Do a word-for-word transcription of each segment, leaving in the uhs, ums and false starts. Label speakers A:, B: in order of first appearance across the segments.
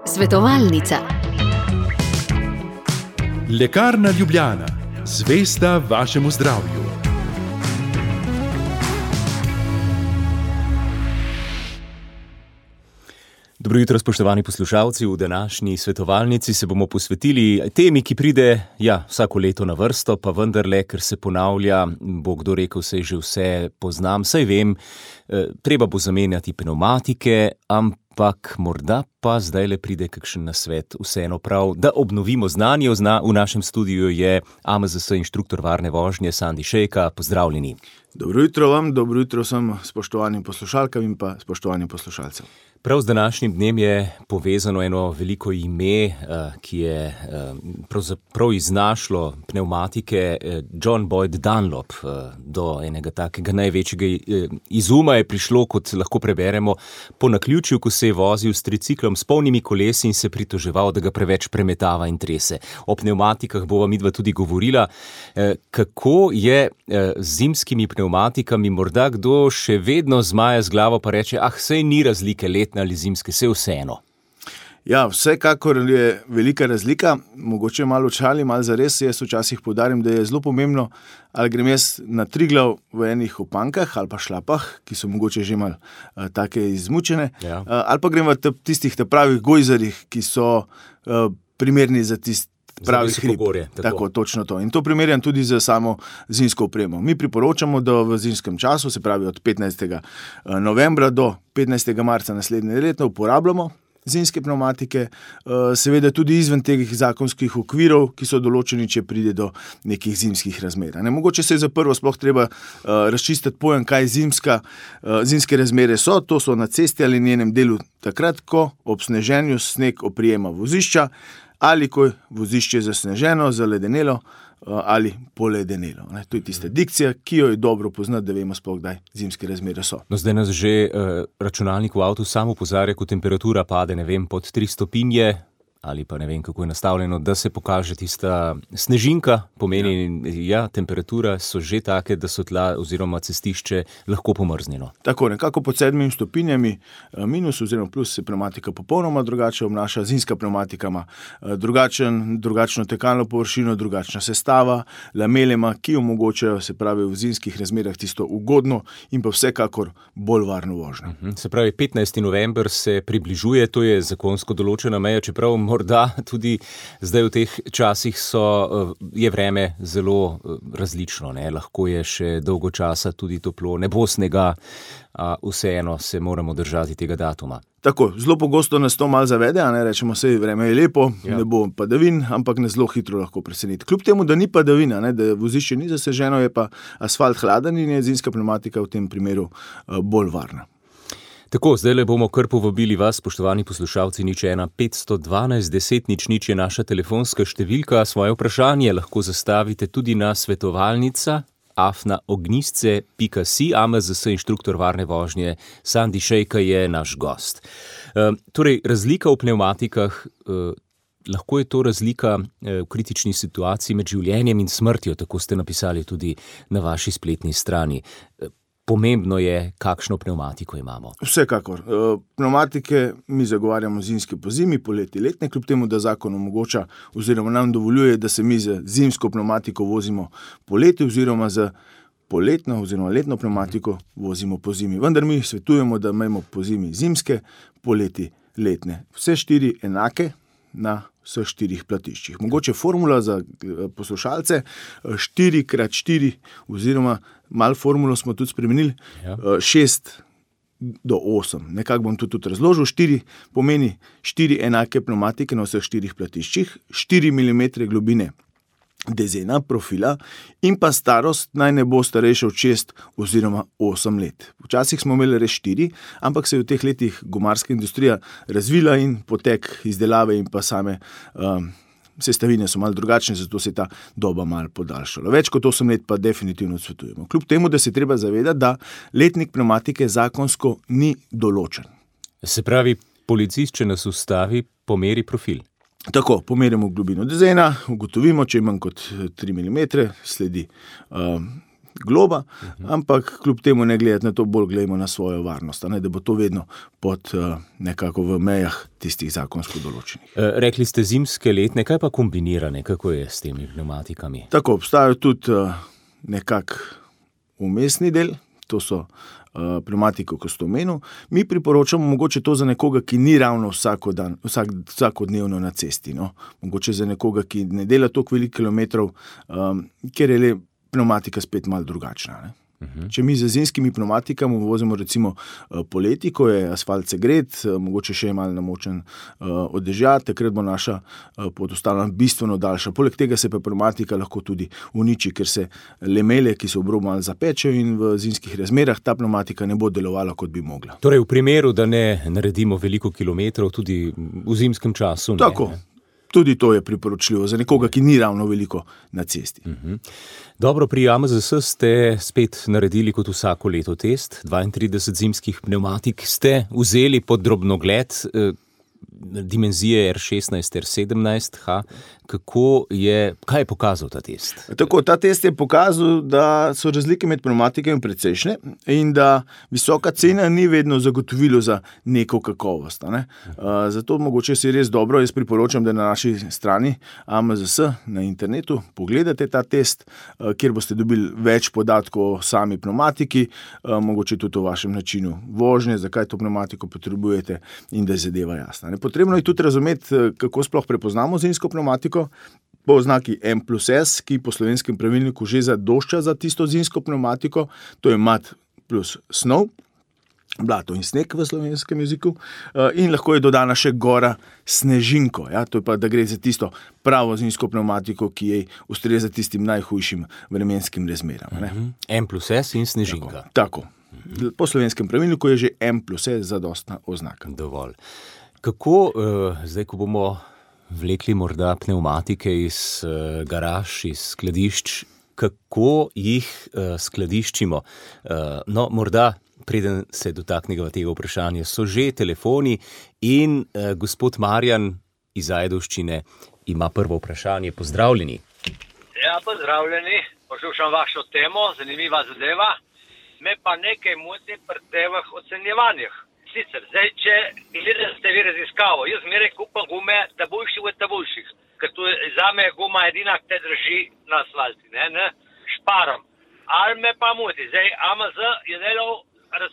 A: Svetovalnica.
B: Lekarna Ljubljana, zvesta vašemu zdravju.
C: Dobro jutro, spoštovani poslušalci. V današnji svetovalnici se bomo posvetili temi, ki pride ja, vsako leto na vrsto, pa vendarle, ker se ponavlja, bo kdo rekel, saj že vse poznam, saj vem, treba bo zamenjati pnevmatike, ampak morda pa zdajle pride kakšen nasvet. Vseeno prav, da obnovimo znanje. V našem studiu je A M Z S inštruktor varne vožnje Sandi Šejka. Pozdravljeni.
D: Dobro jutro vam, dobro jutro vsem spoštovanim poslušalkam in pa spoštovanim poslušalcem.
C: Prav z današnjim dnem je povezano eno veliko ime, ki je pravzaprav iznašlo pnevmatike. John Boyd Dunlop. Do enega takega največjega izuma je prišlo, kot lahko preberemo, po naključju, ko se je vozil s triciklom s polnimi kolesi in se pritoževal, da ga preveč premetava in trese. O pnevmatikah bova midva tudi govorila. Kako je z zimskimi pnevmatikami? Morda kdo še vedno zmaja z glavo pa reče, ah, sej ni razlike letne ali zimske, sej vseeno.
D: Ja, vsekakor je velika razlika, mogoče malo čali, malo zares. Jaz včasih poudarim, da je zelo pomembno, ali grem jaz na Triglav v enih opankah ali pa šlapah, ki so mogoče že malo uh, take izmučene,
C: ja.
D: uh, ali pa grem v tistih pravih gojzarjih, ki so uh, primerni za tisti pravi hrib.
C: Gorje, tako.
D: tako, točno to. In to primerjam tudi z samo zimsko opremo. Mi priporočamo, da v zimskem času, se pravi od petnajstega novembra do petnajstega marca naslednje leto, uporabljamo zimske pnevmatike, seveda tudi izven teh zakonskih okvirov, ki so določeni, če pride do nekih zimskih razmer. Ne, mogoče se je za prvo sploh treba razčistiti pojem, kaj zimska, zimske razmere so. To so na cesti ali njenem delu takrat, ko ob sneženju sneg oprijema vozišča, ali ko je vozišče zasneženo, zaledenelo ali poledenelo. Ne, to je tista dikcija, ki jo je dobro poznati, da vemo sploh, kdaj zimske razmere so.
C: No, zdaj nas že uh, računalnik v avtu samo opozarja, ko temperatura pade, ne vem, pod tri stopinje, ali pa ne vem, kako je nastavljeno, da se pokaže tista snežinka, pomeni, ja, ja temperatura so že take, da so tla oziroma cestišče lahko pomrznjeno.
D: Tako, nekako pod sedmimi stopinjami minus oziroma plus se pnevmatika popolnoma drugače obnaša. Zimska pnevmatika ima drugačen, drugačno tekalno površino, drugačna sestava, lamelema, ki omogočajo, se pravi, v zimskih razmerah tisto ugodno in pa vsekakor bolj varno vožnjo.
C: Uh-huh. Se pravi, petnajsti november se približuje, to je zakonsko določena meja, čeprav morda tudi zdaj v teh časih so, je vreme zelo različno, ne? Lahko je še dolgo časa tudi toplo, ne bo snega, a vseeno se moramo držati tega datuma.
D: Tako, zelo pogosto nas to malo zavede, a ne rečemo, sej vreme je lepo,
C: ja.
D: Ne bo padavin, ampak ne zelo hitro lahko preseneti. Kljub temu, da ni padavina, ne, da vozišče ni zaseženo, je pa asfalt hladen in je zimska pnevmatika v tem primeru uh, bolj varna.
C: Tako, zdaj le bomo kar povabili vas, spoštovani poslušalci, nič ena petsto dvanajst deset nič nič je naša telefonska številka. Svoje vprašanje lahko zastavite tudi na svetovalnica afna ognjisce pika si. A M Z S inštruktor varne vožnje Sandi Šejka je naš gost. E, torej, razlika v pnevmatikah, e, lahko je to razlika e, v kritični situaciji med življenjem in smrtjo, tako ste napisali tudi na vaši spletni strani. E, Pomembno je, kakšno pnevmatiko imamo.
D: Vsekakor. Pnevmatike mi zagovarjamo zimske po zimi, poleti letne, kljub temu, da zakon omogoča oziroma nam dovoljuje, da se mi z zimsko pnevmatiko vozimo poleti oziroma z poletno oziroma letno pnevmatiko vozimo po zimi. Vendar mi svetujemo, da imamo po zimi zimske, poleti letne. Vse štiri enake na vseh štirih platiščih. Mogoče formula za poslušalce štiri krat štiri oziroma malo formulo smo tudi spremenili, ja. šest do osem. Nekako bom tudi, tudi razložil. štiri pomeni štiri enake pnevmatike na vseh štirih platiščih, štiri milimetre globine dezena, profila in pa starost naj ne bo starejša od šest oziroma osem let. Včasih smo imeli res štiri, ampak se je v teh letih gumarska industrija razvila in potek izdelave in pa same um, sestavine so malo drugačne, zato se je ta doba malo podaljšala. Več kot osem let pa definitivno odsvetujemo. Kljub temu, da se treba zavedati, da letnik pnevmatike zakonsko ni določen.
C: Se pravi, policist, če nas ustavi, pomeri profil.
D: Tako, pomerimo globino dezena, ugotovimo, če je manj kot tri milimetre, sledi uh, globa, uh-huh. ampak kljub temu ne gledati na to, bolj gledamo na svojo varnost, ne, da bo to vedno pod uh, nekako v mejah tistih zakonsko določenih.
C: E, rekli ste zimske, letne, kaj pa kombinirane, kako je s temi pneumatikami?
D: Tako, obstajajo tudi uh, nekak umestni del, to so uh, pneumatiko, ko ste omenil. Mi priporočamo mogoče to za nekoga, ki ni ravno vsakodan, vsak, vsakodnevno na cesti. No? Mogoče za nekoga, ki ne dela toliko veliko kilometrov, um, ker je le pneumatika spet malo drugačna. Ne? Uh-huh. Če mi z zimskimi pneumatikami vozimo recimo poleti, ko je asfalt segret, mogoče še je malo namočen uh, od dežja, takrat bo naša uh, pot ostala bistveno daljša. Poleg tega se pa pneumatika lahko tudi uniči, ker se lemele, ki so v obrobu malo zapečejo in v zimskih razmerah ta pneumatika ne bo delovala, kot bi mogla.
C: Torej v primeru, da ne naredimo veliko kilometrov, tudi v zimskem času. Ne,
D: Tako.
C: Ne?
D: Tudi to je priporočljivo za nekoga, ki ni ravno veliko na cesti.
C: Uh-huh. Dobro, pri A M Z S ste spet naredili kot vsako leto test. dvaintrideset zimskih pneumatik ste vzeli pod drobnogled, eh, dimenzije R šestnajst, R sedemnajst. Ha. Kako je, kaj je pokazal ta test?
D: Tako, ta test je pokazal, da so razlike med pneumatikami precejšnje in da visoka cena ni vedno zagotovilo za neko kakovost. Ne? Uh, zato mogoče si res dobro, jaz priporočam, da na naši strani A M Z S na internetu pogledate ta test, uh, kjer boste dobili več podatkov o sami pneumatiki, uh, mogoče tudi o vašem načinu vožnje, zakaj to pneumatiko potrebujete in da je zadeva jasna. Ne? Potrebno je tudi razumeti, kako sploh prepoznamo zimsko pneumatiko, po oznaki M plus S, ki po slovenskem pravilniku že zadošča za tisto zimsko pneumatiko, to je mat plus snov, blato in sneg v slovenskem jeziku, in lahko je dodana še gora snežinko, ja, to je pa, da gre za tisto pravo zimsko pneumatiko, ki je ustreza tistim najhujšim vremenskim razmeram. Ne?
C: M plus S in snežinka.
D: Tako, tako. Po slovenskem pravilniku je že M plus S zadostna oznaka.
C: Dovolj. Kako, uh, zdaj, ko bomo vlekli morda pneumatike iz uh, garaž, iz skladišč, kako jih uh, skladiščimo? Uh, no, morda, preden se dotaknemo tega vprašanja, so že telefoni in uh, gospod Marjan iz Ajdovščine ima prvo vprašanje. Pozdravljeni.
E: Ja, pozdravljeni. Poslušam vašo temo, zanimiva zadeva. Me pa nekaj moti pri teh ocenjevanjih. Sicer, zdaj, če gledate vi raziskavo, jaz zmeraj kupam gume tabuljših od tabuljših, ker tu za me je guma edina, ki te drži na asfalti, ne, ne, šparam. Ali me pa muti, zdaj A M Z je delal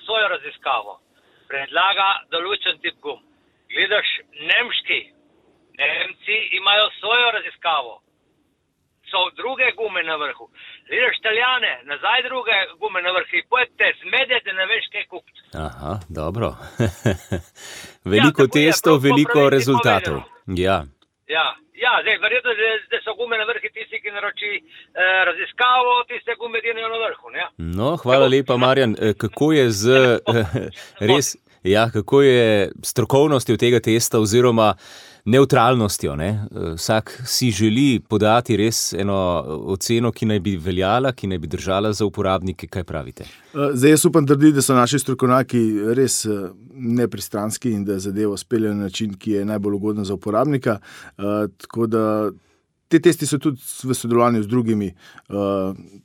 E: svojo raziskavo, predlaga določen tip gum. Gledaš nemški, Nemci imajo svojo raziskavo, so druge gume na vrhu. Gledaš Italijane, nazaj druge gume na vrhu, pojete, zmedete, ne veš, kaj kupiti.
C: Aha, dobro. Veliko ja, testov, veliko rezultatov. Ja.
E: Ja, ja, zdaj, verjetno, da so gume na vrhu tisti, ki naroči eh, raziskavo, tiste gume dinajo na vrhu, ne?
C: No, hvala lepa, Marjan. Kako je z res, ja, kako je strokovnostjo tega testa oziroma neutralnostjo, ne? Vsak si želi podati res eno oceno, ki naj bi veljala, ki naj bi držala za uporabnike. Kaj pravite?
D: Zdaj jaz upam trditi, da so naši strokovnjaki res nepristranski in da zadevo speljajo na način, ki je najbolj ugoden za uporabnika. Tako da te testi so tudi v sodelovanju z drugimi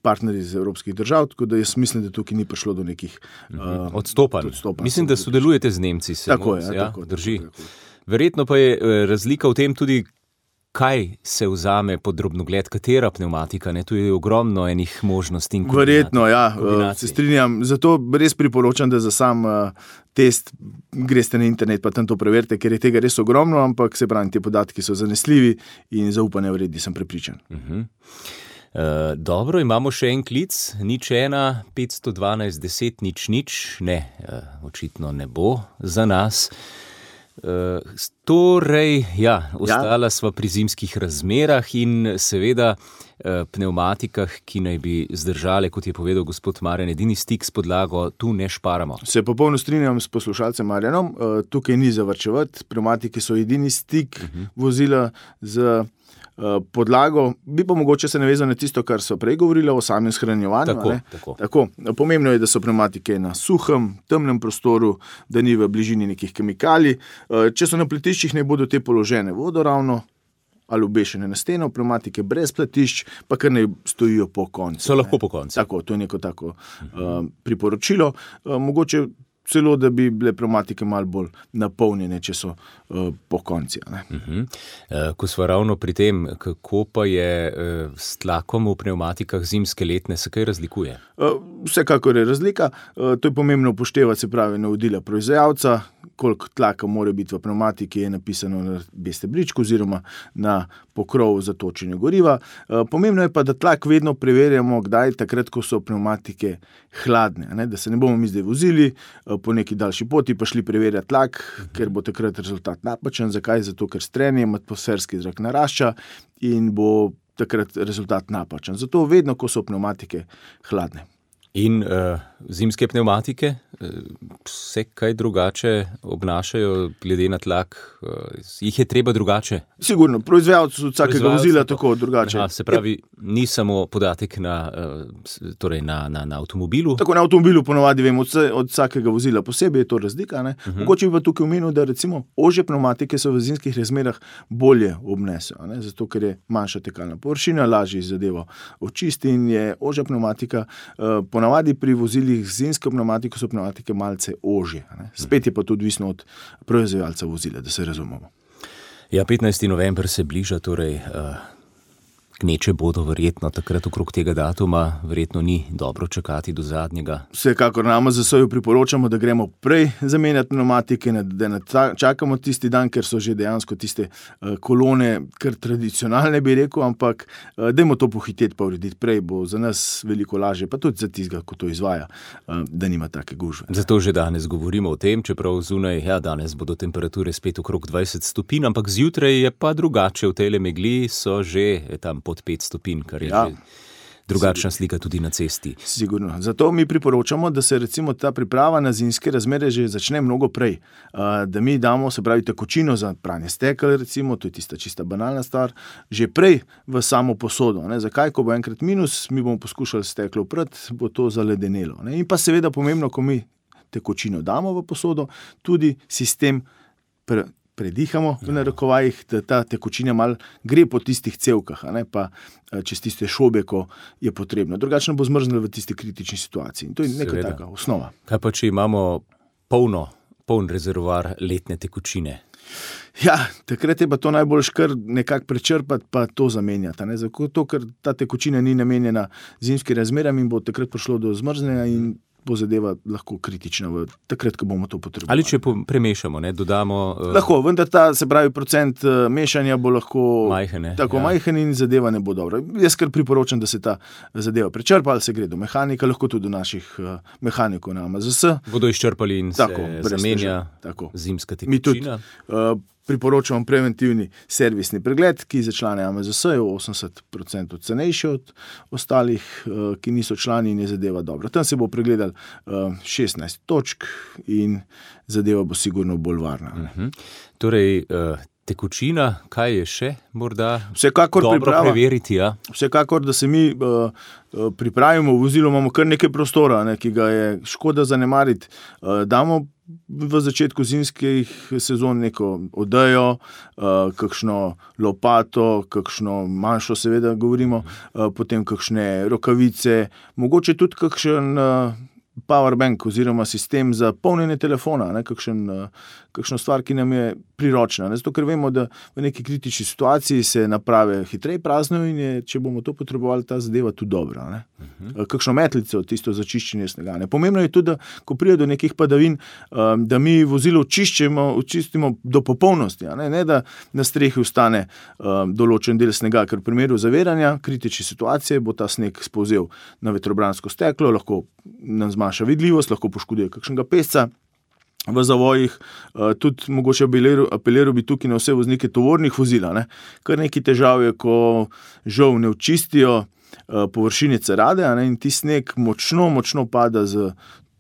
D: partnerji iz evropskih držav, tako da jaz mislim, da tukaj ni prišlo do nekih
C: odstopanj. Mislim, da sodelujete z Nemci.
D: Tako je,
C: ja,
D: tako,
C: drži.
D: tako, tako.
C: Verjetno pa je razlika v tem tudi, kaj se vzame pod drobnogled, katera pneumatika, ne? Tu je ogromno enih možnosti in kombinacij.
D: Verjetno, ja, se strinjam. Zato res priporočam, da za sam test greste na internet, pa tam to preverite, ker je tega res ogromno, ampak se pravi, te podatki so zanesljivi in zaupanja vredni, sem prepričan.
C: Uh-huh. Uh, dobro, imamo še en klic, nič ena, petsto dvanajst, deset, nič, nič, ne, uh, očitno ne bo za nas. Uh, torej, ja, ostala ja. sva pri zimskih razmerah in seveda uh, pneumatikah, ki naj bi zdržale, kot je povedal gospod Marjan, edini stik s podlago, tu ne šparamo.
D: Se popolno strinjam s poslušalcem Marjanom, uh, tukaj ni zavarčevati, pneumatike so edini stik uh-huh. vozila z podlago, bi pa mogoče se navezal na tisto, kar so prej govorili o samem shranjevanju.
C: Tako, tako.
D: Tako, pomembno je, da so pneumatike na suhem, temnem prostoru, da ni v bližini nekih kemikalij. Če so na pletiščih, ne bodo te položene vodoravno ali obešene na steno, pneumatike brez platišč, pa kar ne stojijo po koncu.
C: So lahko po koncu.
D: Tako, to je neko tako uh, priporočilo. Uh, mogoče celo, da bi bile pneumatike malo bolj napolnjene, če so uh, po konci.
C: Uh-huh. Uh, ko smo ravno pri tem, kako pa je uh, s tlakom v pneumatikah zimske letne, se kaj razlikuje?
D: Uh, vsekakor je razlika. Uh, to je pomembno upoštevati, se pravi, navodila proizvajalca, koliko tlaka mora biti v pneumatiki, je napisano na B stebričku oziroma na pokrov za točenje goriva. Uh, pomembno je pa, da tlak vedno preverjamo, kdaj, takrat, ko so pneumatike hladne, ne? Da se ne bomo mi zdaj vozili uh, po neki daljši poti, pa šli preverjati tlak, ker bo takrat rezultat napačen. Zakaj? Zato, ker s trenjem atmosferski zrak narašča in bo takrat rezultat napačen. Zato vedno, ko so pneumatike hladne.
C: In uh, zimske pneumatike uh, se kaj drugače obnašajo glede na tlak? Uh, jih je treba drugače?
D: Sigurno, proizvajalci od vsakega vozila tako drugače.
C: Aha, se pravi, ni samo podatek na, uh, torej na, na, na avtomobilu?
D: Tako na avtomobilu ponovadi vemo, od, od vsakega vozila posebej je to razlika. Ne? Uh-huh. Mogoče bi pa tukaj omenil, da recimo ožje pneumatike so v zimskih razmerah bolje obnesejo, ne? Zato ker je manjša tekalna površina, lažje zadevo očisti in je ožja pneumatika uh, Ponavadi pri vozilih z zimsko pneumatiko so pneumatike malce ožje. Ne? Spet je pa to odvisno od proizvajalca vozila, da se razumemo.
C: Ja, petnajsti november se bliža, torej uh, gneče bodo verjetno takrat okrog tega datuma, verjetno ni dobro čakati do zadnjega.
D: Vsekakor na A M Z S-ju priporočamo, da gremo prej zamenjati pneumatike, da ne čakamo tisti dan, ker so že dejansko tiste uh, kolone kar tradicionalne, bi rekel, ampak uh, dajmo to pohiteti pa urediti prej, bo za nas veliko lažje, pa tudi za tistega, ko to izvaja, uh, da nima take gužve.
C: Zato že danes govorimo o tem, čeprav zunaj, ja, danes bodo temperature spet okrog dvajset stopinj, ampak zjutraj je pa drugače, v tejle megli so že tam pod pet stopinj, kar je ja. že drugačna slika tudi na cesti.
D: Sigurno. Zato mi priporočamo, da se recimo ta priprava na zimske razmere že začne mnogo prej. Da mi damo, se pravi, tekočino za pranje stekel, recimo, to je tista čista banalna stvar, že prej v samo posodo. Ne? Zakaj? Ko bo enkrat minus, mi bomo poskušali steklo oprati, bo to zaledenelo. Ne? In pa seveda pomembno, ko mi tekočino damo v posodo, tudi sistem pre predihamo v narekovajih, da ta tekočina mal gre po tistih cevkah, a ne pa čez tiste šobe, ko je potrebno. Drugačno bo zmrznilo v tisti kritični situaciji. In to je neka taka osnova.
C: Kaj pa, če imamo polno, poln rezervoar letne tekočine?
D: Ja, takrat je pa to najbolj kar nekako prečrpati, pa to zamenjati. Ne? Zato, ker ta tekočina ni namenjena zimskim razmeram in bo takrat prišlo do zmrznjenja in bo zadeva lahko kritična v takrat, ko bomo to potrebovali.
C: Ali če premešamo, ne, dodamo... Uh...
D: Lahko, vendar ta, se pravi, procent uh, mešanja bo lahko
C: majhen,
D: tako ja. majhen in zadeva ne bo dobra. Jaz kar priporočam, da se ta zadeva prečrpa, ali se gre do mehanika, lahko tudi do naših uh, mehanikov na A M Z S.
C: Bodo izčrpali in
D: tako,
C: se zamenja zimska tekočina.
D: Mi tudi uh, priporočamo preventivni servisni pregled, ki za člane A M Z S je osemdeset procentov cenejši od ostalih, uh, ki niso člani in je zadeva dobra. Tam se bo pregledal uh, šestnajst točk in zadeva bo sigurno bolj varna.
C: Uh-huh. Torej, uh, tekočina, kaj je še morda
D: Vsekakor
C: dobro
D: priprava,
C: preveriti? Ja?
D: Vsekakor, da se mi uh, uh, pripravimo, v vozilu imamo kar nekaj prostora, ne, ki ga je škoda zanemariti. Uh, damo v začetku zimskih sezon neko odejo, uh, kakšno lopato, kakšno manjšo seveda govorimo, uh, potem kakšne rokavice, mogoče tudi kakšen uh, powerbank oziroma sistem za polnjenje telefona, ne, kakšen, uh, kakšno stvar, ki nam je priročna. Ne, zato, ker vemo, da v neki kritični situaciji se naprave hitreje praznijo in je, če bomo to potrebovali, ta zadeva tudi dobra. Ne. Uh-huh. Kakšno metlico, tisto za čiščenje snega. Ne. Pomembno je tudi, da ko pride do nekih padavin, um, da mi vozilo očiščimo, očistimo do popolnosti, ne, ne da na strehi ostane um, določen del snega, ker v primeru zaviranja kritične situacije bo ta sneg spolzel na vetrobransko steklo, lahko nam zmanjša vidljivost, lahko poškoduje kakšnega pesca v zavojih, tudi mogoče apeliral bi tukaj na vse voznike tovornih vozil, ne. Kar nekaj težav je, ko žal ne očistijo površine cerade, ne, in ti sneg močno, močno pada z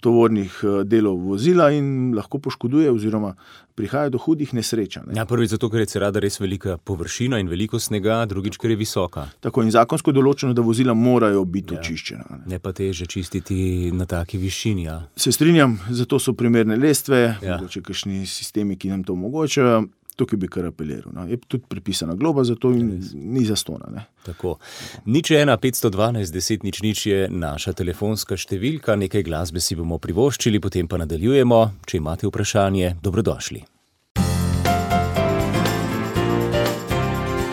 D: tovornih delov vozila in lahko poškoduje oziroma prihaja do hudih nesreč. Ne.
C: Ja, prvič zato, ker je cerada res velika površina in veliko snega, drugič, ker je visoka.
D: Tako in zakonsko določeno, da vozila morajo biti
C: ja.
D: očiščena. Ne.
C: ne pa teže čistiti na taki višini. Ja.
D: Se strinjam, zato so primerne lestve,
C: ja.
D: mogoče kakšni sistemi, ki nam to omogočajo. tukaj bi kar apeliral. No. Je tudi pripisana globa, zato ni zastona. Ne.
C: Tako. Nič ena, petsto dvanajst, deset, nič, nič je naša telefonska številka, nekaj glasbe si bomo privoščili, potem pa nadaljujemo. Če imate vprašanje, dobrodošli.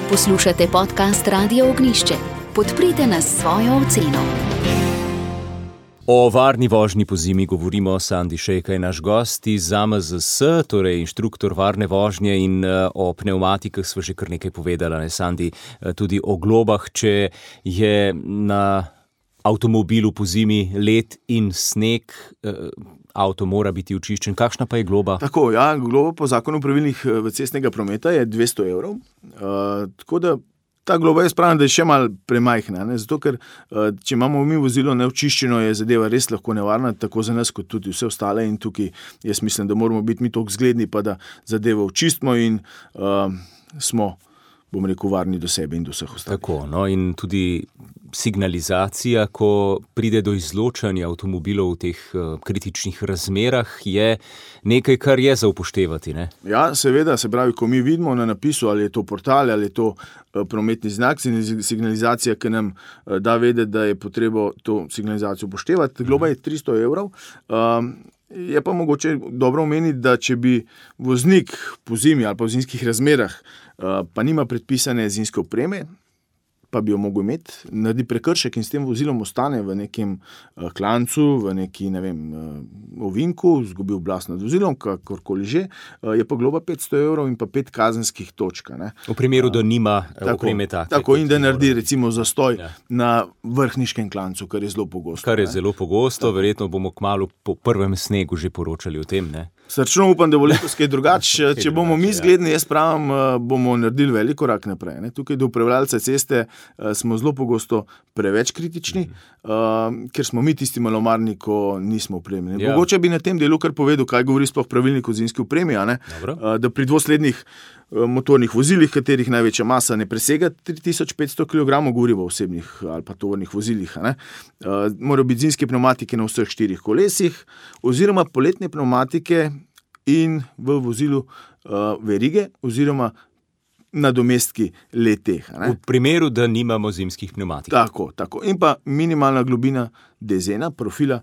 A: Poslušate podcast Radio Ognjišče. Podprite nas s svojo oceno.
C: O varni vožnji po zimi govorimo. Sandi Šejka je naš gost iz A M Z S, torej inštruktor varne vožnje, in o pnevmatikah sva že kar nekaj povedala, ne Sandi, tudi o globah, če je na avtomobilu po zimi led in sneg, avto mora biti očiščen. Kakšna pa je globa?
D: Tako, ja, globa po zakonu pravilnih cestnega prometa je dvesto evrov, uh, tako da ta globa je spravna, da je še malo premajhna, ne? Zato ker če imamo mi vozilo neočiščeno, je zadeva res lahko nevarna, tako za nas kot tudi vse ostale, in tukaj jaz mislim, da moramo biti mi toliko zgledni, pa da zadevo očistimo in uh, smo, bom rekel, varni do sebe in do vseh ostalih.
C: Tako, no, in tudi signalizacija, ko pride do izločanja avtomobilov v teh uh, kritičnih razmerah, je nekaj, kar je za upoštevati, ne?
D: Ja, seveda, se pravi, ko mi vidimo na napisu, ali je to portal, ali je to uh, prometni znak, signalizacija, ki nam uh, da vedeti, da je potrebo to signalizacijo upoštevati. Globa je tristo evrov. Um, je pa mogoče dobro omeniti, da če bi voznik po zimi ali pa v zimskih razmerah uh, pa nima predpisane zimske opreme, pa bi jo mogel imeti, naredi prekršek in s tem vozilom ostane v nekem uh, klancu, v neki, ne vem, uh, ovinku, zgubi oblast nad vozilom, kakorkoli že, uh, je pa globa petsto evrov in pa pet kazenskih točk. Ne.
C: V primeru, da nima
D: uh,
C: opreme take.
D: Tako, in da naredi recimo zastoj ja. na vrhniškem klancu, kar je zelo pogosto.
C: Kar je
D: ne.
C: zelo pogosto, tako. Verjetno bomo kmalu po prvem snegu že poročali o tem, ne?
D: Srčno upam, da bo letos kaj drugače. Če bomo mi zgledni, jaz pravim, bomo naredili velik korak naprej. Ne. Tukaj do upravljalca ceste smo zelo pogosto preveč kritični, mm-hmm. uh, ker smo mi tisti malomarni, ko nismo opremljeni. Ja. Mogoče bi na tem delu kar povedal, kaj govori sploh pravilnik o zimski opremi, a ne? Uh, da pri dvoslednih motornih vozilih, katerih največja masa ne presega tri tisoč petsto kilogramov, govorimo o osebnih ali pa tovornih vozilih, a ne? Uh, morajo biti zimske pnevmatike na vseh štirih kolesih, oziroma poletne pnevmatike in v vozilu uh, verige, oziroma nadomestki le-teh.
C: V primeru, da nimamo zimskih pnevmatik.
D: Tako, tako. In pa minimalna globina dezena, profila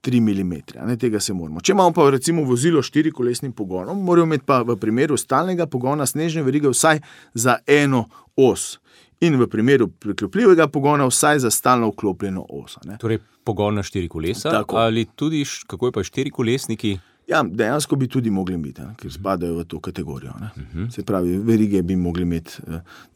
D: tri milimetre. Ne, tega se moramo. Če imamo pa recimo vozilo s štirikolesnim pogonom, moramo imeti pa v primeru stalnega pogona snežne verige vsaj za eno os. In v primeru priklopljivega pogona vsaj za stalno vklopljeno os. Ne.
C: Torej pogon na štiri kolesa, tako. Ali tudi, kako je pa štirikolesniki?
D: Ja, dejansko bi tudi mogli biti, ne, ker spadajo v to kategorijo. Ne. Uh-huh. Se pravi, verige bi mogli imeti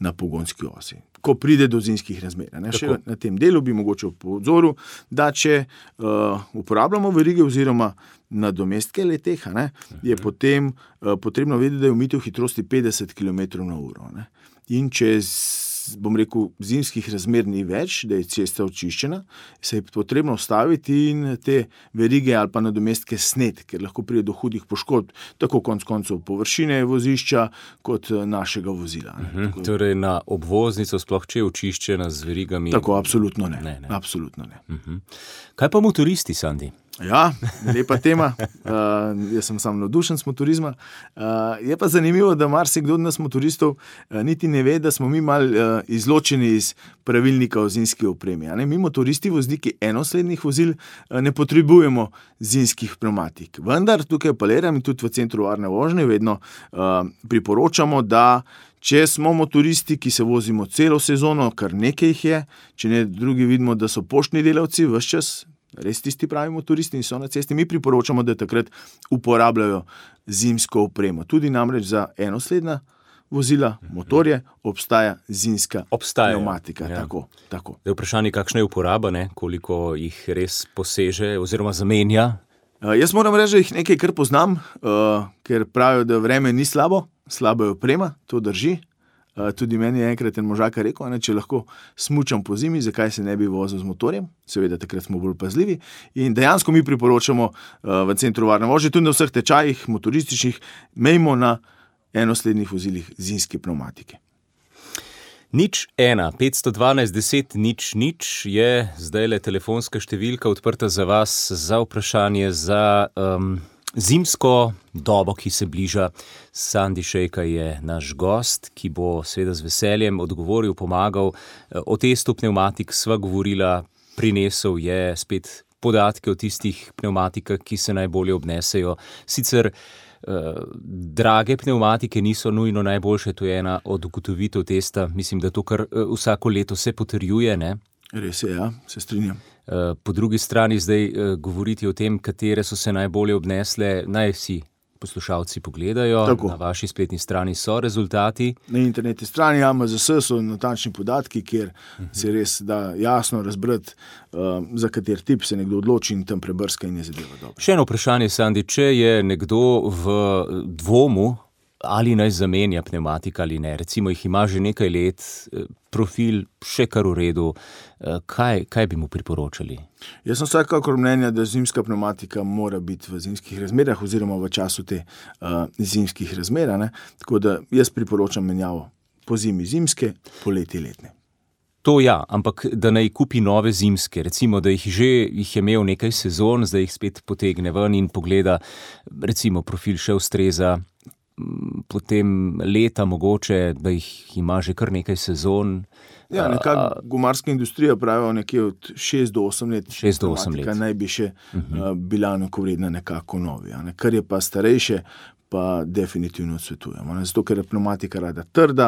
D: na pogonski osi. Ko pride do zimskih razmer. Ne. Še na tem delu bi mogoče po odzoru, da če uh, uporabljamo verige oziroma nadomestke le-teh, ne, uh-huh. je potem uh, potrebno vedeti, da je omejitev hitrosti petdeset kilometrov na uro. Ne. In če bom rekel, zimskih razmer ni več, da je cesta očiščena, se je potrebno ustaviti in te verige ali pa nadomestke sneti, ker lahko pride do hudih poškodb, tako konec koncev površine vozišča, kot našega vozila.
C: Uh-huh. Tako, torej na obvoznico, sploh če je očiščena z verigami?
D: Tako, absolutno ne.
C: ne, ne.
D: Absolutno ne.
C: Uh-huh. Kaj pa motoristi, Sandi?
D: Ja, lepa tema. Uh, jaz sem sam navdušen s motorizma. Uh, je pa zanimivo, da marsikdo od nas motoristov uh, niti ne ve, da smo mi mal uh, izločeni iz pravilnika o zimski opremi. Ne? Mi motoristi, vozniki enoslednih vozil, uh, ne potrebujemo zimskih pnevmatik. Vendar tukaj apeliram in tudi v Centru varne vožnje vedno uh, priporočamo, da če smo motoristi, ki se vozimo celo sezono, kar nekaj jih je, če ne drugi vidimo, da so poštni delavci ves čas, res tisti pravi motoristi in so na cesti, mi priporočamo, da takrat uporabljajo zimsko opremo. Tudi namreč za enosledna vozila, motorje, obstaja zimska
C: Obstajajo.
D: pnevmatika.
C: Ja.
D: Tako, tako.
C: Da je vprašanje, kakšna je uporaba, ne? Koliko jih res poseže oziroma zamenja?
D: Uh, jaz moram reči, da jih nekaj kar poznam, uh, ker pravijo, da vreme ni slabo, slaba je oprema, to drži. Uh, tudi meni je enkrat en možakar rekel, ne, če lahko smučam po zimi, zakaj se ne bi vozil z motorjem, seveda takrat smo bolj pazljivi in dejansko mi priporočamo uh, v Centru varne vožnje, tudi na vseh tečajih motorističnih, imejmo na enoslednih vozilih zimske pnevmatike.
C: Nič ena, petsto dvanajst, deset, nič, nič je zdaj le telefonska številka odprta za vas, za vprašanje, za um, Zimsko dobo, ki se bliža, Sandi Šejka je naš gost, ki bo seveda z veseljem odgovoril, pomagal. O testu pnevmatik sva govorila, prinesel je spet podatke o tistih pnevmatikah, ki se najbolje obnesejo. Sicer eh, drage pnevmatike niso nujno najboljše, to je ena od ugotovitev testa. Mislim, da to kar eh, vsako leto se potrjuje, ne?
D: Res je, ja, se strinjam.
C: Po drugi strani zdaj govoriti o tem, katere so se najbolje obnesle, naj si poslušalci pogledajo. Tako. Na vaši spletni strani so rezultati.
D: Na internetni strani A M Z S so natančni podatki, kjer uh-huh. se res da jasno razbrati, uh, za kater tip se nekdo odloči in tam prebrska in je zadeva dobro.
C: Še eno vprašanje, Sandi, če je nekdo v dvomu, ali naj zamenja pnevmatika ali ne, recimo jih ima že nekaj let, profil še kar v redu, kaj, kaj bi mu priporočali?
D: Jaz sem vsekakor mnenja, da zimska pnevmatika mora biti v zimskih razmerah oziroma v času te uh, zimskih razmer, ne? Tako da jaz priporočam menjavo po zimi zimske, poleti letne.
C: To ja, ampak da naj kupi nove zimske, recimo, da jih že jih je imel nekaj sezon, zdaj jih spet potegne ven in pogleda, recimo profil še ustreza, potem leta mogoče, da jih ima že kar nekaj sezon.
D: Ja, nekako gumarska industrija pravijo nekje od šest do osem let.
C: šest do osem let.
D: Naj bi še uh-huh. bila enakovredna nekako novi. Ne? Kar je pa starejše, pa definitivno odsvetujemo. Ne? Zato, ker je pneumatika rada trda,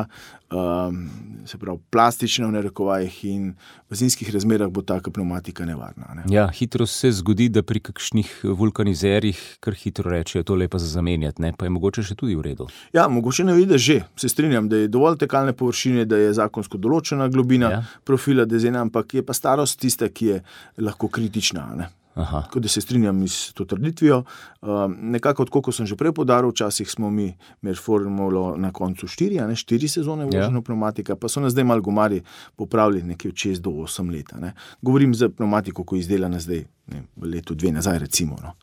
D: um, se pravi plastična v narekovajih in v zimskih razmerah bo taka pneumatika nevarna. Ne?
C: Ja, hitro se zgodi, da pri kakšnih vulkanizerjih kar hitro rečejo, to lepa za zamenjati, ne? Pa je mogoče še tudi v redu.
D: Ja, mogoče ne vidi že. Se strinjam, da je dovolj tekalne površine, da je zakonsko določena globina ja. profila dezena, ampak je pa starost tista, ki je lahko kritična, ne? Aha. Tako da se strinjam s to trditvijo. Um, nekako, tako kot sem že prej podaril, včasih smo mi med formulo na koncu štiri, a ne, štiri sezone voženo ja. pneumatika, pa so nas zdaj malo gumarji popravili nekje od šest do osem leta. Ne. Govorim za pneumatiko, ko je izdelana zdaj, ne, v letu dve nazaj recimo. No.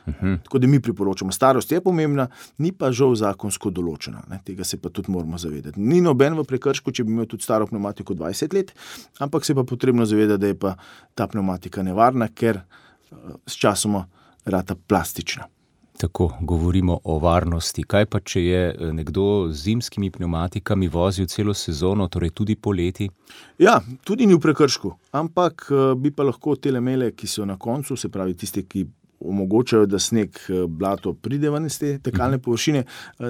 D: Uh-huh. Tako da mi priporočamo. Starost je pomembna, ni pa žal zakonsko določena. Ne. Tega se pa tudi moramo zavedati. Ni noben v prekršku, če bi imel tudi staro pneumatiko dvajset let, ampak se pa potrebno zavedati, da je pa ta pneumatika nevarna, ker s časoma rata plastična.
C: Tako, govorimo o varnosti. Kaj pa, če je nekdo z zimskimi pneumatikami vozil celo sezono, torej tudi poleti?
D: Ja, tudi ni v prekršku, ampak bi pa lahko te lemele, ki so na koncu, se pravi tiste, ki omogočajo, da sneg, blato pride ven iz te tekalne površine,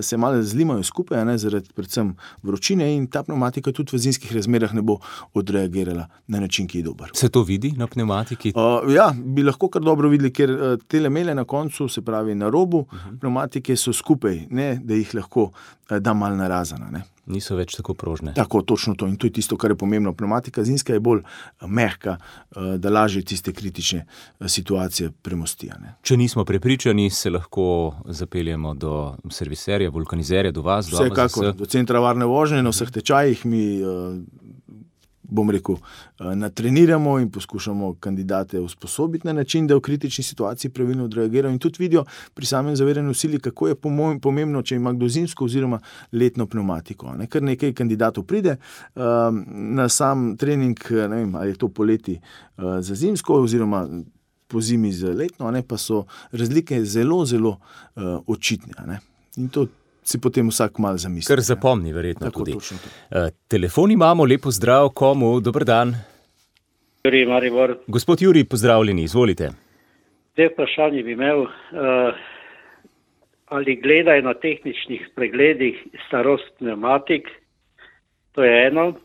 D: se malo zlimajo skupaj, ne, zaradi predvsem vročine in ta pneumatika tudi v zimskih razmerah ne bo odreagirala na način, ki je dober.
C: Se to vidi na pneumatiki?
D: Uh, ja, bi lahko kar dobro videli, ker uh, te lemele na koncu, se pravi na robu, uh-huh. pneumatike so skupaj, ne, da jih lahko uh, da malo narazana, ne.
C: Niso več tako prožne.
D: Tako, točno to. In to je tisto, kar je pomembno. Pneumatika zimska je bolj mehka, da lažje tiste kritične situacije premostijo.
C: Če nismo prepričani, se lahko zapeljemo do serviserja, vulkanizerja, do vas.
D: Vsekakor, do centra varne vožnje, na vseh tečajih mi, bom rekel, natreniramo in poskušamo kandidate usposobiti na način, da v kritični situaciji pravilno odreagirajo in tudi vidijo pri samem zavedanju sili, kako je pomembno, če ima kdo zimsko oziroma letno pneumatiko. Ne? Kar nekaj kandidatov pride um, na sam trening, ne vem, ali je to poleti uh, za zimsko oziroma po zimi za letno, ne? Pa so razlike zelo, zelo uh, očitne. Ne? In to si potem vsak malo zamisli.
C: Kar zapomni, verjetno
D: tako,
C: tudi.
D: Uh,
C: telefon imamo, lepo zdrav, komu, dober dan.
F: Juri Maribor.
C: Gospod Juri, pozdravljeni, izvolite.
F: Te vprašanje bi imel, uh, ali gledajo na tehničnih pregledih starost pneumatik, to je eno.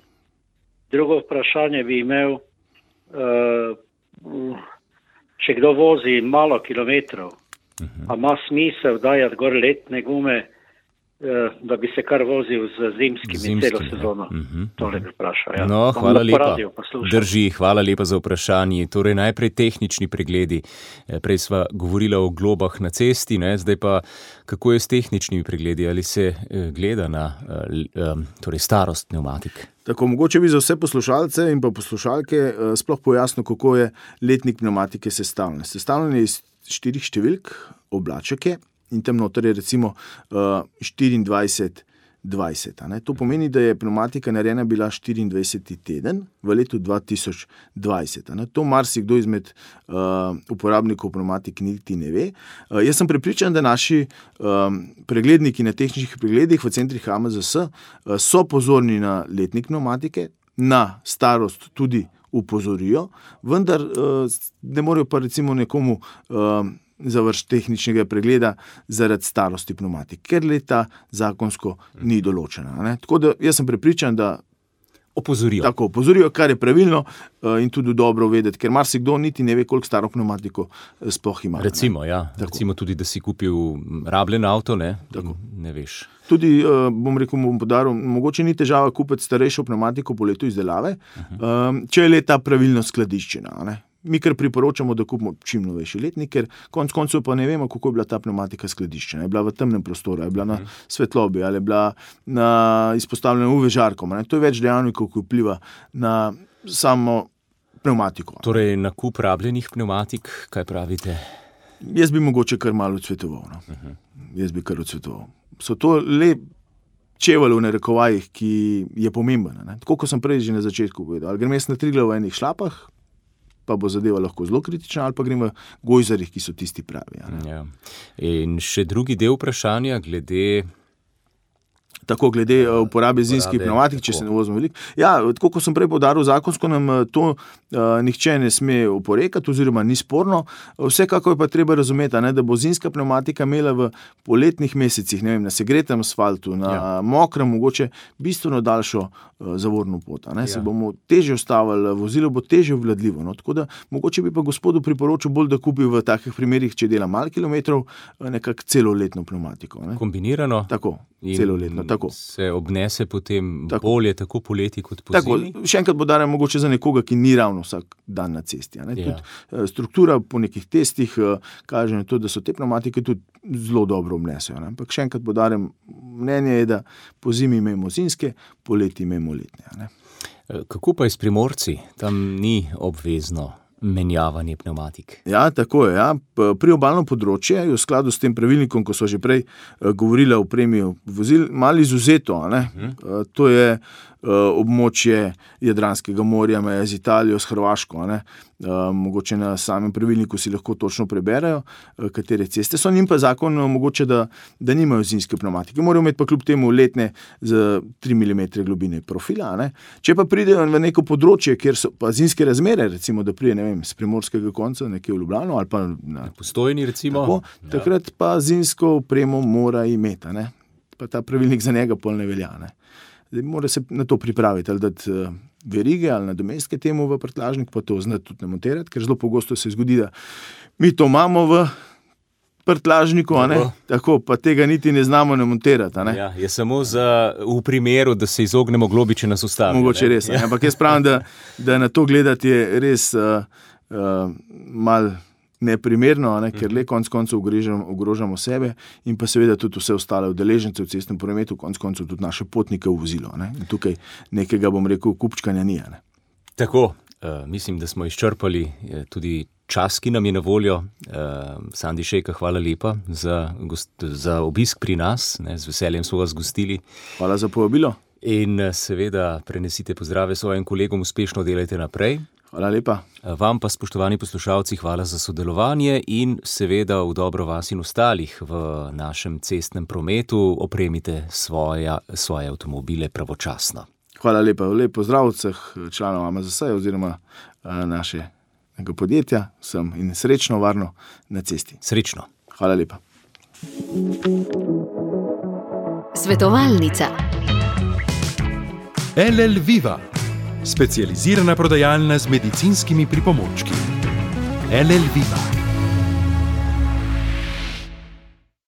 F: Drugo vprašanje bi imel, uh, če kdo vozi malo kilometrov, uh-huh. a ima smisel dajati gor letne gume, da bi se kar vozil z zimskimi Zimski, celo sezono. Uh-huh. Tole bi vprašal. Ja.
C: No, hvala lepa. Drži, hvala lepa za vprašanje. Torej najprej tehnični pregledi. Prej sva govorila o globah na cesti, ne? Zdaj pa kako je s tehničnimi pregledi? Ali se gleda na torej starost pneumatik?
D: Tako, mogoče bi za vse poslušalce in pa poslušalke sploh pojasnil, kako je letnik pneumatike sestavljen. Sestavljen je iz štirih številk, oblaček je, in tam noter je recimo uh, štiriindvajset dvajset. A ne. To pomeni, da je pneumatika narejena bila štiriindvajseti teden v letu dva tisoč dvajset. A ne. To marsikdo izmed uh, uporabnikov pneumatik niti ne ve. Uh, jaz sem prepričan, da naši um, pregledniki na tehničnih pregledih v centrih H M Z S uh, so pozorni na letnik pneumatike, na starost tudi upozorijo, vendar uh, ne morejo pa recimo nekomu uh, završiti tehničnega pregleda zaradi starosti pneumatik, ker leta zakonsko ni določena. Ne? Tako da jaz sem prepričan, da
C: opozorijo.
D: Tako opozorijo, kar je pravilno uh, in tudi dobro vedeti, ker marsikdo niti ne ve, koliko staro pneumatiko sploh ima.
C: Recimo, ne? Ja. Recimo tudi, da si kupil rabljen avto, ne, ne veš.
D: Tudi, uh, bom rekel, bom podaril, mogoče ni težava kupiti starejšo pneumatiko po letu izdelave, uh-huh. um, če je leta pravilno skladiščena. Ne? Mi kar priporočamo, da kupimo čim novejši letnik, ker konc koncev pa ne vemo, kako je bila ta pneumatika skladiščena. Je bila v temnem prostoru, je bila uh-huh. na svetlobi, ali je bila na izpostavljena U V žarkom. Ne? To je več dejavnikov, ki vpliva na samo pneumatiko.
C: Torej, nakup rabljenih pneumatik, kaj pravite?
D: Jaz bi mogoče kar malo odsvetoval. No? Uh-huh. Jaz bi kar odsvetoval. So to le čevelj v narekovajih, ki je pomemben. Ne? Tako, kot sem prej že na začetku povedal. Ali grem jaz na Triglav v enih šlapah, pa bo zadeva lahko zelo kritična, ali pa grem v gojzarjih, ki so tisti pravi.
C: Ja. In še drugi del vprašanja glede...
D: Tako glede uh, uporabe zimskih pneumatik, če se ne vozimo veliko. Ja, tako kot sem prej poudaril, zakonsko nam to uh, nihče ne sme oporekati, oziroma ni sporno. Vsekako je pa treba razumeti, ne, da bo zimska pneumatika imela v poletnih mesecih, ne vem, na segretem asfaltu, na ja. mokrem, mogoče bistveno daljšo uh, zavorno pot. Ne. Se ja. bomo težje ustavili, vozilo bo težje obvladljivo. No. Tako da mogoče bi pa gospodu priporočil bolj, da kupi v takih primerih, če dela malo kilometrov, nekako celoletno pneumatiko. Ne.
C: Kombinirano?
D: Tako, celoletno. Tako.
C: Se obnese potem tako. bolje tako poleti kot po
D: tako,
C: zimi?
D: Še enkrat podarjam mogoče za nekoga, ki ni ravno vsak dan na cesti. Ja. Tudi struktura po nekih testih kaže na to, da so te pneumatike tudi zelo dobro obnesejo. Ne. Ampak še enkrat podarjam, mnenje je, da po zimi imamo zimske, poleti imamo letne. Ne.
C: Kako pa je s Primorci? Tam ni obvezno menjavanje pneumatik.
D: Ja, tako je. Ja. Priobalno področje je v skladu s tem pravilnikom, ko so že prej uh, govorili o premiju vozil, malo izuzeto. Ne? Uh, to je uh, območje Jadranskega morja, meja z Italijo, s Hrvaško. Ne? Uh, mogoče na samem pravilniku si lahko točno preberajo, uh, katere ceste so. Njim pa zakon omogoča, da, da nimajo zimske pneumatike. Morajo imeti pa kljub temu letne z tri milimetre globine profila. Ne? Če pa pridejo v neko področje, kjer so pa zimske razmere, recimo, da pride, ne vem, z primorskega konca nekje v Ljubljano ali pa na
C: Postojni, recimo.
D: Tako, takrat pa zimsko opremo mora imeti. Ne? Pa ta pravilnik za njega pol ne velja. Ne? Zdaj, mora se na to pripraviti, ali dati uh, verige ali nadomestke temu v prtljažnik, pa to znati tudi namontirati, ker zelo pogosto se zgodi, da mi to imamo v prtljažniku, a ne? Tako, pa tega niti ne znamo namontirati. Ne?
C: Ja, je samo za, v primeru, da se izognemo globi, če nas ustavijo.
D: Mogoče res, ja. Ampak jaz pravim, da, da na to gledati je res uh, uh, malo neprimerno, ne? Ker le konc koncev ogrožamo, ogrožamo sebe in pa seveda tudi vse ostale udeležence v cestnem prometu, konc koncev tudi naše potnike v vozilo. Ne? In tukaj nekega, bom rekel, kupčkanja ni. Ne?
C: Tako, uh, mislim, da smo izčrpali uh, tudi čas, ki nam je na voljo. Uh, Sandi Šejka, hvala lepa za, gost, za obisk pri nas. Ne? Z veseljem smo vas gostili.
D: Hvala za povabilo.
C: In seveda prenesite pozdrave svojim kolegom, uspešno delajte naprej.
D: Hvala lepa.
C: Vam pa, spoštovani poslušalci, hvala za sodelovanje in seveda v dobro vas in ostalih v našem cestnem prometu opremite svoja, svoje avtomobile pravočasno.
D: Hvala lepa. Lep pozdrav vseh članov A M Z S oziroma našega podjetja. Sem in srečno, varno na cesti.
C: Srečno.
D: Hvala lepa.
A: Svetovalnica.
B: L L Viva, specializirana prodajalna z medicinskimi pripomočki. L L Viva.